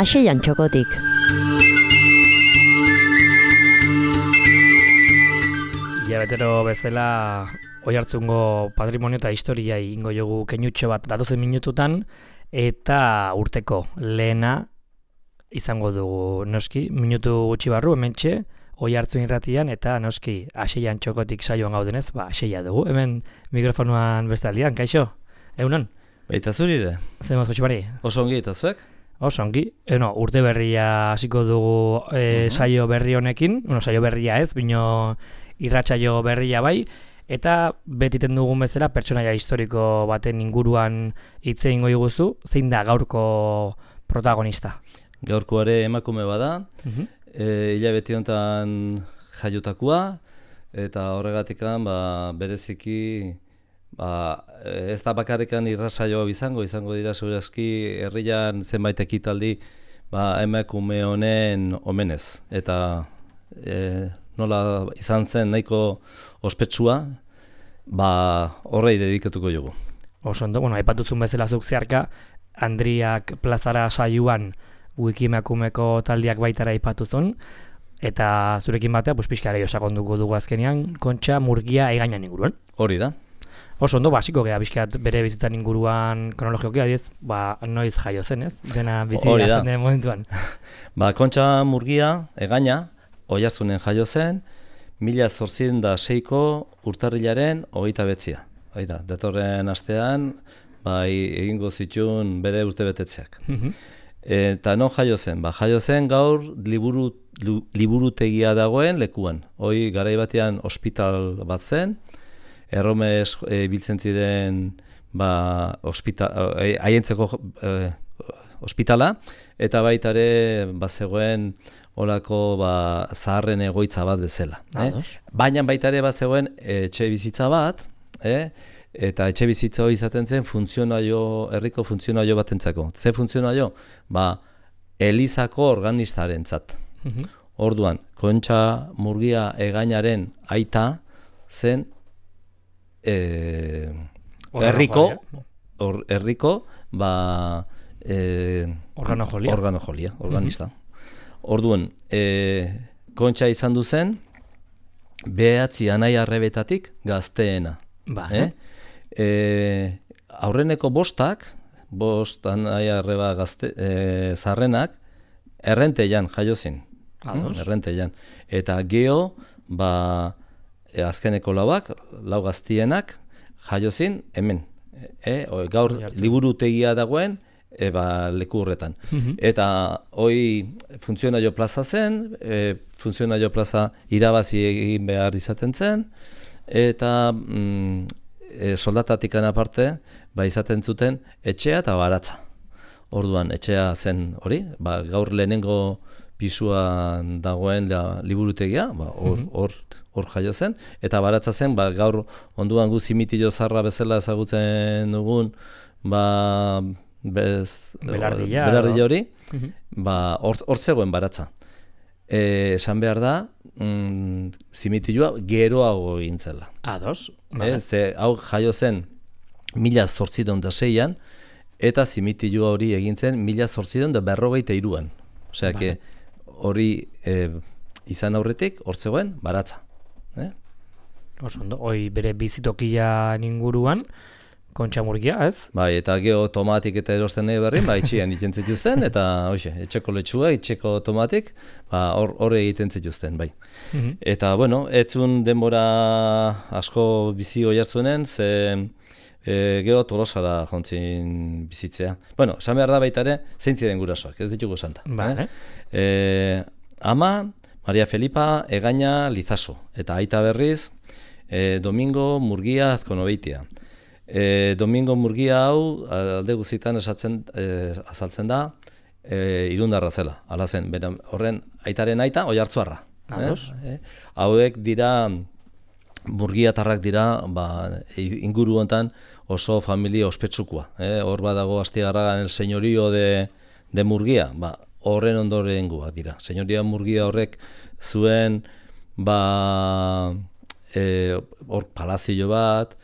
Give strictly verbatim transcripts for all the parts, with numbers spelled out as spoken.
Aseian txokotik. Ilabetero bezala Oiartzungo patrimonio eta historia ingo jogu keinutxo bat datozen minututan, eta urteko lehena izango dugu noski, minutu gutxi barru, hementxe, Oiartzun irratian, eta noski, Aseian txokotik saioan gaudenez, ba, aseia dugu. Hemen mikrofonuan bestaldian, kaixo? Egunon? Baita zurire. Zemaz gutximari? Oso ongi eta zuek? Oso ongi. Eno, urte berria hasiko dugu e, uh-huh. saio berri honekin, bueno, saio berria ez, bino irratsaio berria bai, eta betiten dugun bezala pertsonaia historiko baten inguruan hitze eingo diguzu, zein da gaurko protagonista? Gaurkoare emakume bada, uh-huh. e, hilabete honetan jaiotakoa, eta horregatikan ba, bereziki ba, ez da bakarrikan irratsaio izango, izango dira segurazki herrian zenbait ekitaldi ba, emakume honen omenez. Eta e, nola izan zen nahiko ospetsua, ba, horrei dedikatuko jogu. Oso ondo, bueno, aipatuzun bezala zuk zeharka, Andriak plazara saioan Wikimekumeeko taldiak baitara aipatuzun, eta zurekin batea, pues, pixka gehiago sakonduko dugu azkenean, Kontxa Murgia egainan inguruan. Hori da. Oso ondo, basiko geha, bizkat bere bizitzan inguruan kronologioki, adiez, ba, noiz jaio zen, ez? Dena bizi azten den momentuan. Ba, Kontxa Murgia egaina, Oiartzunen jaio zen, mila zortziehun eta seiko urtarrilaren hogeita betzia. Baita, datorren astean, bai, egingo zituen bere urtebetetzeak. Eta non jaio zen? Ba, jaio zen gaur liburu, li, liburutegia dagoen lekuan. Hoi garai batean ospital bat zen, erromez e, biltzen ziren ba, ospital, e, haientzeko e, ospitala, eta baita ere bazegoen olako ba, zaharren egoitza bat bezala. Eh? Baina baita ere bazegoen etxe bizitza bat, eh? Eta etxe bizitza hori izaten zen funtzionaio, herriko funtzionaio batentzako. Ze funtzionaio? Ba, Elizako organistarentzat. Uh-huh. Orduan, Kontxa Murgia egainaren aita zen eh, herriko, or, herriko, ba, eh, organojolia. Organojolia, organista. Uh-huh. Orduan, eh, Kontxa izan du zen, behatzi anai arrebetatik gazteena. Ba, eh? E, aurreneko bostak, bost anai arreba gazte, e, zarrenak, errenteian jaio zen. Errenteian. Eta geho, ba, e, azkeneko lauak, lau gaztienak, jaio zen hemen. E, o, gaur liburutegia dagoen, e, ba, leku horretan. Uh-huh. Eta hoi funtzionaio plaza zen, e, funtzionaio plaza irabazi egin behar izaten zen, eta mm, e, soldatatik aparte ba, izaten zuten etxea eta baratza. Orduan, etxea zen hori, ba, gaur lehenengo pisuan dagoen la, liburutegia, ba, hor, hor, hor jaio zen, eta baratza zen, ba, gaur onduan gu zimitilo zarra bezala ezagutzen dugun, ba, bez, belardilla, belardilla hori, uh-huh. ba, hor, hor zegoen baratza. E, esan behar da, mm, zimitilua geroago egin zela. Ados. E, ze hau jaio zen mila zortziehun eta seian, eta zimitilua hori egin zen mila zortziehun eta berrogeita hiruan. Osea, que hori e, izan aurretik, hor zegoen, baratza. Eh? Oso ondo, hoi bere bizitokian inguruan, Kontxa Murgia, ez? Bai, eta geho tomatik eta erosten nahi berrin, ba, itxian egiten zituzten, eta hoxe, etxeko letxua, etxeko tomatik, ba, hor, hor egiten zituzten, bai. Uh-huh. Eta, bueno, etzun denbora asko bizi Oiartzunen, ze e, geho Tolosara jontzin bizitzea. Bueno, esan behar da baita ere, zein ziren gurasoak, ez ditugu santa. Ba, eh? E, ama, Maria Felipa, Egaña, Lizaso, eta aita berriz, e, Domingo Murgia Azkonobeitia. E, Domingo Murgia hau alde guztietan esatzen e, azaltzen da e, irundarra zela. Hala zen, bera, horren aitaren aita Oiartzuarra. Eh? E, hauek dira Murgiatarrak dira, ba, inguru hontan oso familia ospetsukua. Eh? Hor badago Astigarragan el señorío de, de Murgia, ba, horren ondorengoak dira. Señoría Murgia horrek zuen ba, e, hor palazio bat,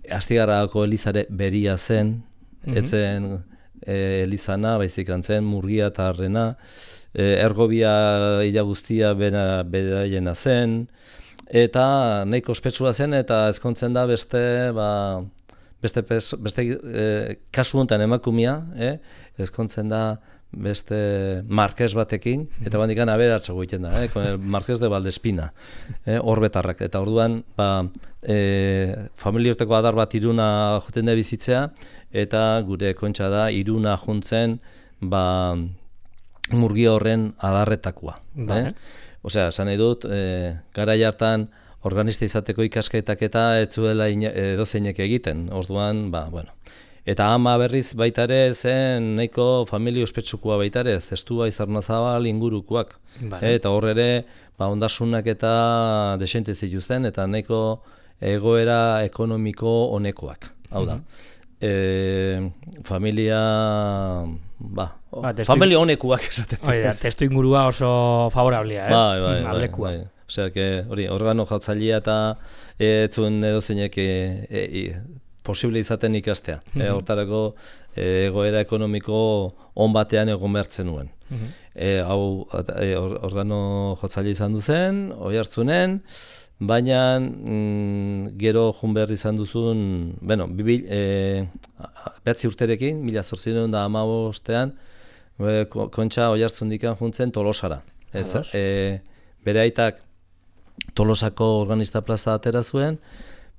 Astigarragako elizare beria zen, mm-hmm. etzen e, Elizana, baizik antzen Murgia eta Arrena, e, Ergobia ila guztia bera, beraiena zen, eta nahiko ospetsua zen, eta ezkontzen da beste, ba, beste, pes, beste e, kasu honetan emakumia, eh? ezkontzen da beste Marquez batekin, eta bandikan aberatxago egiten da, eh? Con el Marquez de Valdespina, eh? Orbetarrak, eta orduan, ba, e, familiorteko adar bat Iruna joten da bizitzea, eta gure Kontxa da Iruna juntzen, ba, Murgia horren adarretakoa. Eh? Osea, esan nahi dut, e, garai hartan organista izateko ikasketak eta ez zuela edozeinek egiten, orduan, ba, bueno. Eta ama berriz baita ere zen nahiko familia ospetsukua baita ere, zestua Izarnazabal ingurukoak. Vale. Eta hor ere, ba, ondasunak eta desente zituzten, eta nahiko egoera ekonomiko honekoak. Hau da, mm-hmm. e, familia, ba, ba testu, familia honekoak esaten. Oida, testu ingurua oso favorablea, ez? Bai, bai, aldekua. Bai, bai. Osea, que, hori, organo jautzailea eta ez zuen edozeinek e, e, e, posible izaten ikastea. Mm-hmm. E, hortarako e, egoera ekonomiko on batean egon behartzen nuen. Mm-hmm. E, hau e, organo jotzaile izan duzen, Oiartzunen, baina mm, gero jun behar izan duzun, bueno, bibil, e, behatzi urterekin, mila zortziehun eta hamabostean, e, Kontxa Oiartzundikan juntzen Tolosara. Ez, e, bere aitak Tolosako organista plaza atera zuen,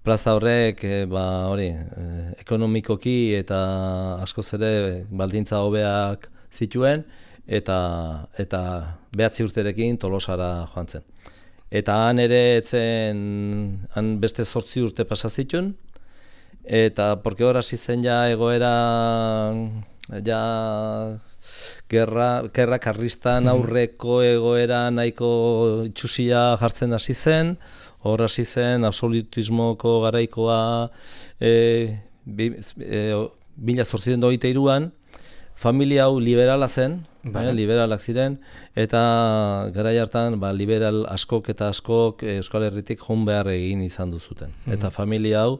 plaza horrek, e, ba, hori, e, ekonomikoki eta askoz ere baldintza hobeak zituen, eta eta behatzi urterekin Tolosara joan zen. Eta han ere etzen, han beste zortzi urte pasa zituen, eta porque hor hasi zen ja egoera, ja gerra, gerra karristan aurreko egoera nahiko itxusia jartzen hasi zen, hor hasi zen absolutismoko garaikoa e, bi, e, mila zortziehun eta hogeita hiruan, familia hau liberala zen, eh, liberalak ziren, eta garai hartan ba, liberal askok eta askok Euskal Herritik joan behar egin izan duzuten. Mm-hmm. Eta familia hau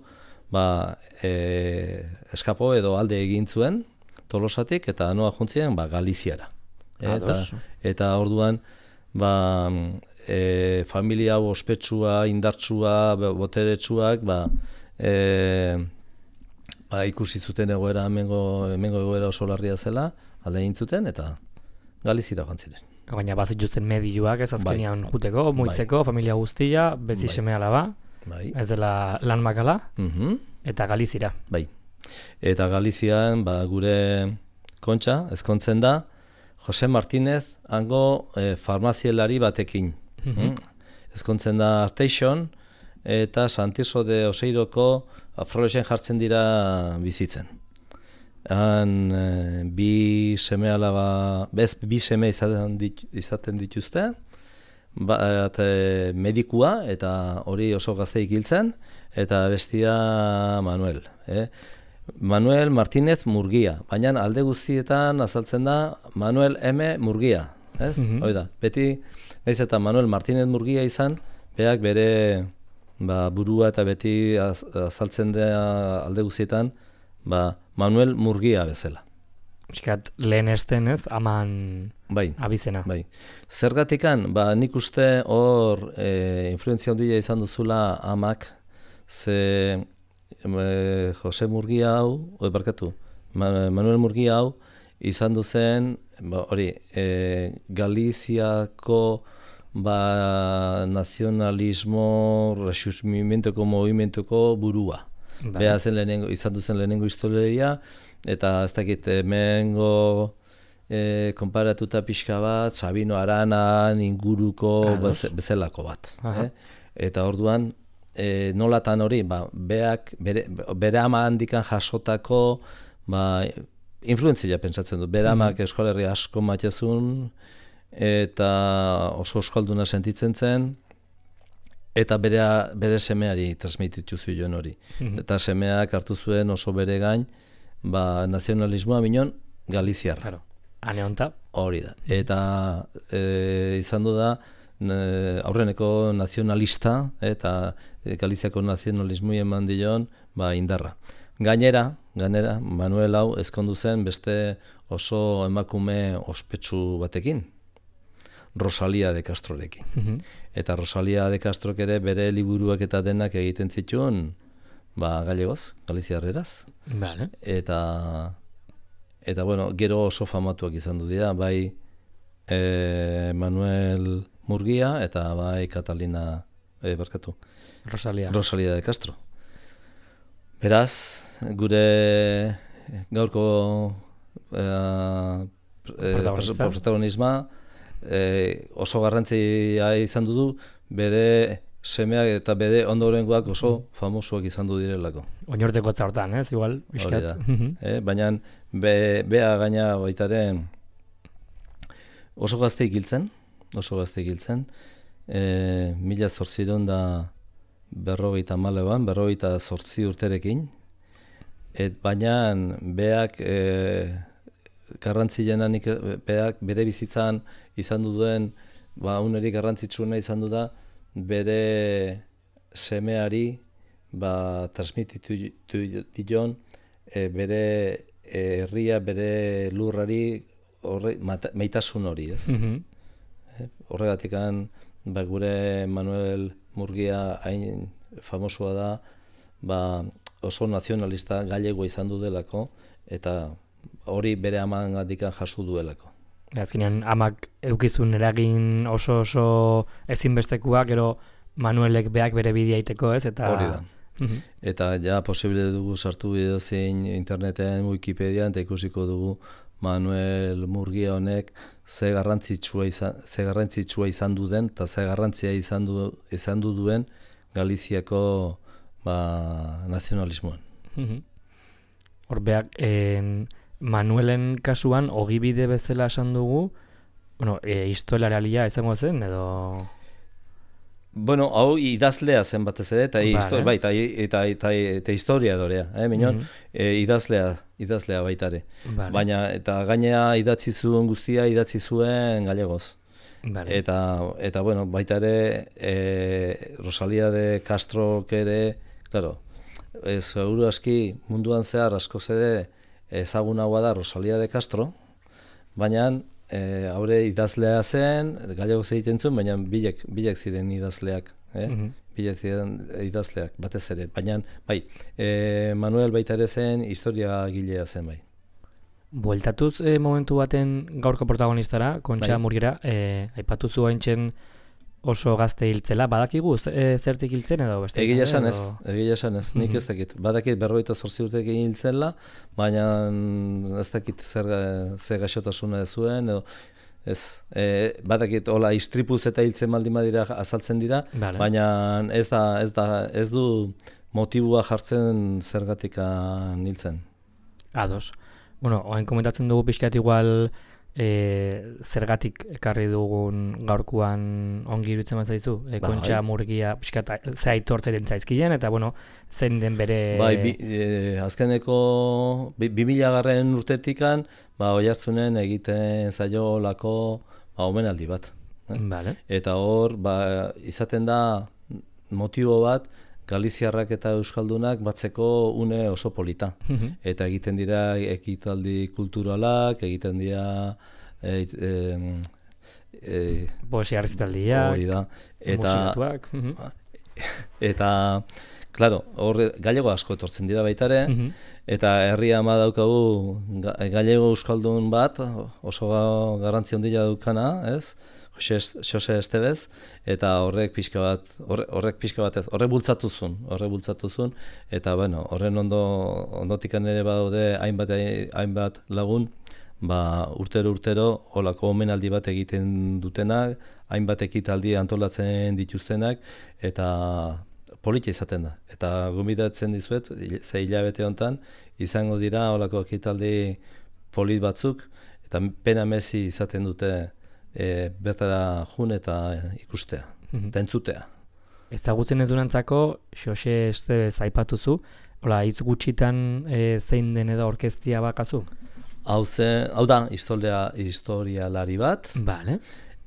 ba, e, eskapo edo alde egin zuen Tolosatik, eta noa juntzien ba, Galiziara. Eta, eta orduan ba, e, familia hau ospetsua, indartsua, boteretsuak, ba, e, ba, ikusi zuten egoera, hemengo, hemengo egoera oso larria zela, alde egin zuten, eta Galizira joan ziren. Baina bazituzten medioak ez azkenean bai. Juteko, muitzeko, bai. Familia guztia, bezi bai. Seme alaba, bai. Ez dela lan makala, mm-hmm. Eta Galizira. Bai. Eta Galizian, ba, gure Kontxa, ezkontzen da, Jose Martinez hango e, farmazielari batekin. Mm-hmm. Ezkontzen da Arteixon, eta Santiso de Oseiroko Afrolexen jartzen dira bizitzen. Han e, bi seme alaba, bez bi seme izaten, dit, izaten dituzte, ba, eta, medikua, eta hori oso gazteik hiltzen, eta bestia Manuel. Eh? Manuel Martinez Murgia, baina alde guztietan azaltzen da Manuel M. Murgia. Ez? Mm-hmm. Hoi da, beti, nahiz eta Manuel Martinez Murgia izan, beak bere ba, burua eta beti az, azaltzen da alde guztietan ba, Manuel Murgia bezala. Euskat, lehen esten ez, aman bai, abizena. Bai. Zergatikan, ba, nik uste hor e, influenzia handia izan duzula amak, ze e, Jose Murgia hau, oi barkatu, Manuel Murgia hau, izan duzen, ba, hori, e, Galiziako ba, nazionalismo, resurgimentoko movimentoko burua. Bai. Beha zen lehenengo, izan duzen lehenengo historia, eta ez dakit hemengo e, konparatuta pixka bat, Sabino Aranan inguruko bez, bezelako bat. Eh? Eta orduan, e, nolatan hori, ba, beak, bere, bere ama handikan jasotako ba, influenzia pentsatzen dut. Bere amak mm. Euskal Herria asko matezun, eta oso euskalduna sentitzen zen, eta bere, bere semeari transmititu zuen hori. Mm-hmm. Eta semeak hartu zuen oso bere gain, ba, nazionalismoa minon Galiziarra. Claro. Hane honta. Hori da. Eta e, izan du da, e, aurreneko nazionalista, eta e, Galiziako nazionalismoi eman dion ba, indarra. Gainera, gainera, Manuel hau ezkondu zen beste oso emakume ospetsu batekin, Rosalia de Castrorekin. Mhm. Eta Rosalia de Castrok ere bere liburuak eta denak egiten zituen ba, galegoz, galiziarreraz. Vale. Eta, eta bueno, gero oso famatuak izan du dira, bai e, Manuel Murguia eta bai Catalina, e, barkatu, Rosalia. Rosalia de Castro. Beraz, gure gaurko e, e, Protagonista. protagonisma e, oso garrantzia izan du bere semeak eta bere ondorengoak oso famosuak izan du direlako. Oinorteko hortan, ez? Igual, Hori bizkat. da. Mhm. Eh, baina be, bea gaina baitaren oso gazte ikiltzen, oso gazte ikiltzen, e, mila zortziron da berrogeita maleban, berrogeita zortzi urterekin, et baina beak e, garrantzilena nik beak bere bizitzan izan duen, ba, unerik garrantzitsuena izan du da, bere semeari ba, transmititu dion e, bere herria, bere lurrari horre, mata, meitasun hori, ez? Mhm. Horregatikan ba, gure Manuel Murguia hain famosua da, ba, oso nazionalista gallego izan du delako, eta hori bere amangandikan jaso duelako. Azkenean, amak eukizun eragin oso oso ezinbestekoa, gero Manuelek beak bere bidea iteko, ez? Eta... Hori da. Mhm. Eta ja posible dugu sartu edozein interneten, Wikipedian, eta ikusiko dugu Manuel Murguia honek ze garrantzitsua izan, ze garrantzitsua izan du den, eta ze garrantzia izan du, izan du duen Galiziako ba, nazionalismoan. Mhm. Hor beak, en, Manuelen kasuan, ogibide bezala esan dugu, bueno, e, historialaria izango zen, edo... Bueno, hau idazlea zen batez ere, eta, Vale. histori, bai, eta, eta, eta, eta historia dorea, eh, minon, Mhm. e, idazlea, idazlea baitare. Vale. Baina, eta gainea idatzi zuen guztia, idatzi zuen galegoz. Vale. Eta, eta bueno, baita ere, e, Rosalia de Castro ere, claro, ez seguru aski munduan zehar askoz ere ezagunagoa da Rosalia de Castro, baina e, haure idazlea zen, galegoz egiten zuen, baina bilek, bilek ziren idazleak, eh? Mhm. Bilek ziren idazleak, batez ere, baina, bai, e, Manuel baita ere zen, historia gilea zen, bai. Bueltatuz e, momentu baten gaurko protagonistara, Kontxa Bai. Murguera, e, aipatu zu haintzen oso gazte hiltzela, badakigu e, zertik hiltzen edo beste? Egia esan ez, edo... egia esan ez, nik ez dakit. Badakit berrogeita zortzi urtekin hiltzela, baina ez dakit zer, zer gaixotasuna ez zuen, edo ez, e, badakit hola istripuz eta hiltzen baldin badira azaltzen dira, Vale. baina ez da, ez da, ez du motibua jartzen zergatikan hiltzen. Ados. Bueno, oain komentatzen dugu pixkat igual e, zergatik ekarri dugun gaurkoan ongi iruditzen bat zaizu, e, Kontxa Bai. Murguia pixkat ze aitortzen zaizkien, eta bueno, zein den bere... Bai, bi, e, azkeneko bi, bi mila garren urtetikan, ba, Oiartzunen egiten zaio lako ba, omenaldi bat. Vale. Eta hor, ba, izaten da motibo bat, Galiziarrak eta Euskaldunak batzeko une oso polita. Mhm. Eta egiten dira ekitaldi kulturalak, egiten dira e, e, e, Poesia errezitaldiak, hori da. Eta, musikatuak. Mhm. eta claro, hor galego asko etortzen dira baitare, Mhm. eta herria ama daukagu ga- galego euskaldun bat, oso ga- garrantzi handia daukana, ez? Jose Jose Estebez, eta horrek pixka bat, horre, horrek pixka bat ez, horrek bultzatu zuen, horrek bultzatu zuen, eta bueno, horren ondo ondotikan ere badaude hainbat hainbat lagun, ba, urtero urtero holako omenaldi bat egiten dutenak, hainbat ekitaldi antolatzen dituztenak, eta politia izaten da. Eta gonbidatzen dizuet, ze hilabete honetan, izango dira holako ekitaldi polit batzuk, eta pena mezi izaten dute e, bertara jun eta ikustea, Mhm. eta entzutea. Ezagutzen ez durantzako, Jose Estebez aipatuzu, hola, hitz gutxitan e, zein den edo orkestia bakazu? Hau, ze, hau da, historia, historialari bat, Vale.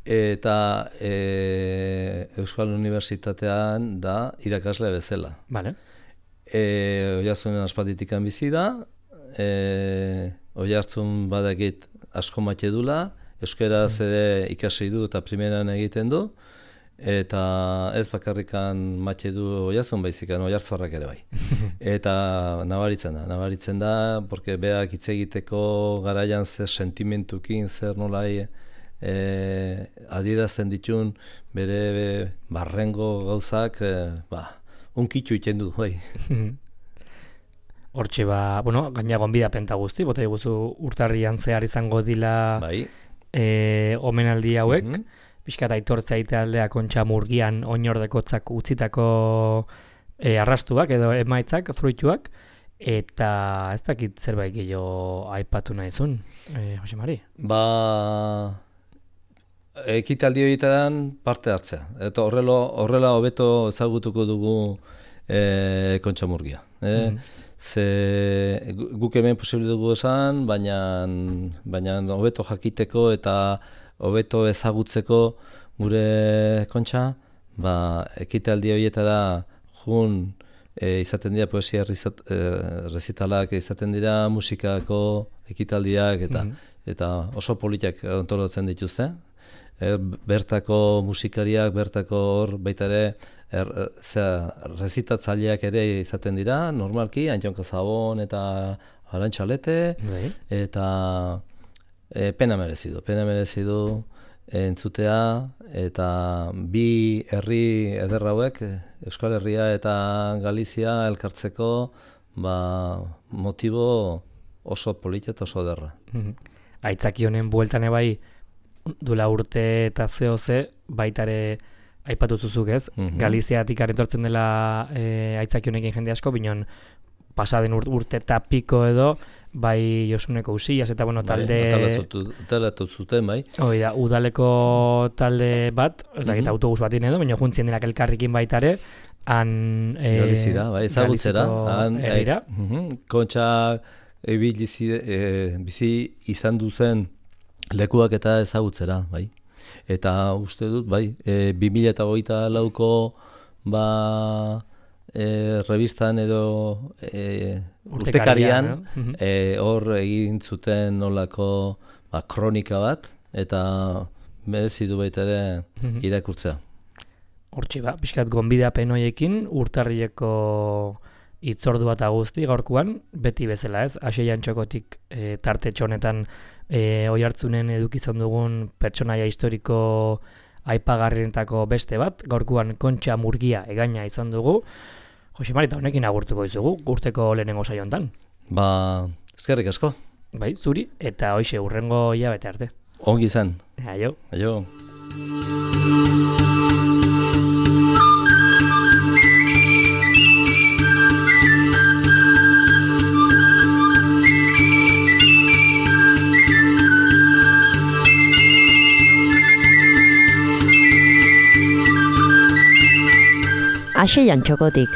eta e, Euskal Unibertsitatean da irakasle bezala. Vale. E, Oiartzunen aspalditikan bizi da, e, Oiartzun badakit asko mate dula, euskeraz ere ikasi du eta primeran egiten du, eta ez bakarrikan mate du Oiartzun baizikan, Oiartzorrak ere bai. Eta nabaritzen da, nabaritzen da, porque beak hitz egiteko garaian zer sentimentukin, zer nolai e, adierazten ditun bere be, barrengo gauzak, e, ba, unkitu iten du, bai. Hortxe ba, bueno, gaina gonbida penta guzti, bota iguzu urtarrian zehar izango dila bai. e, omenaldi hauek, mm Mhm. pixkat aitortza aite aldea Kontxa Murgian oinordekotzak utzitako e, arrastuak edo emaitzak, fruituak, eta ez dakit zerbait gehiago aipatu nahizun, e, Jose Mari? Ba, ekitaldi horietan parte hartzea. Eta horrela, horrela hobeto ezagutuko dugu e, Kontxa Murgia. E? Mhm. Ze guk hemen posible dugu esan, baina baina hobeto jakiteko eta hobeto ezagutzeko gure Kontxa, ba, ekitaldi horietara jun e, izaten dira poesia errezitalak, izaten dira musikako ekitaldiak eta Mhm. eta oso politak antolatzen dituzte. E, bertako musikariak, bertako hor baita ere er, er, rezitatzaileak ere izaten dira, normalki, Antion Kazabon eta Arantxalete, Bai. eta e, pena merezi du, pena merezi du entzutea, eta bi herri eder hauek, Euskal Herria eta Galizia elkartzeko, ba, motibo oso polita eta oso ederra. Mhm. Aitzaki honen bueltan ebai, duela urte eta zeo ze, baitare aipatu zuzuk ez, Mhm. Galiziatik etortzen dela e, aitzaki honekin jende asko, binon pasaden ur, urte eta piko edo, bai Josuneko Usillas eta bueno, talde... Talatu zuten, bai. Hoi da, udaleko talde bat, ez dakit Mhm. autobus batin edo, baina juntzien denak elkarrikin baitare, han... E, Galizira, bai, ezagutzera. Galiziko Han, herrira. e, mhm, Kontxa e, bizi, e, bizi izan duzen lekuak eta ezagutzera, bai. Eta uste dut, bai, e, bi mila hogeita lauko ba, e, revistan edo e, urtekarian no? e, hor egin zuten nolako ba, kronika bat, eta merezi du baita ere irakurtzea. Hortxe ba, pixkat gonbidapen hoiekin urtarrileko hitzordua eta guzti gaurkoan, beti bezala ez, Aseian Txokotik e, tartetxo honetan e, Oiartzunen edukizan dugun pertsonaia historiko aipagarrienetako beste bat, gaurkoan Kontxa Murgia egaina izan dugu. Jose Mari, eta honekin agurtuko izugu, urteko lehenengo saio hontan. Ba, eskerrik asko. Bai, zuri, eta hoxe urrengo hilabete arte. Ongi izan. Aio. Aio. Aseian Txokotik.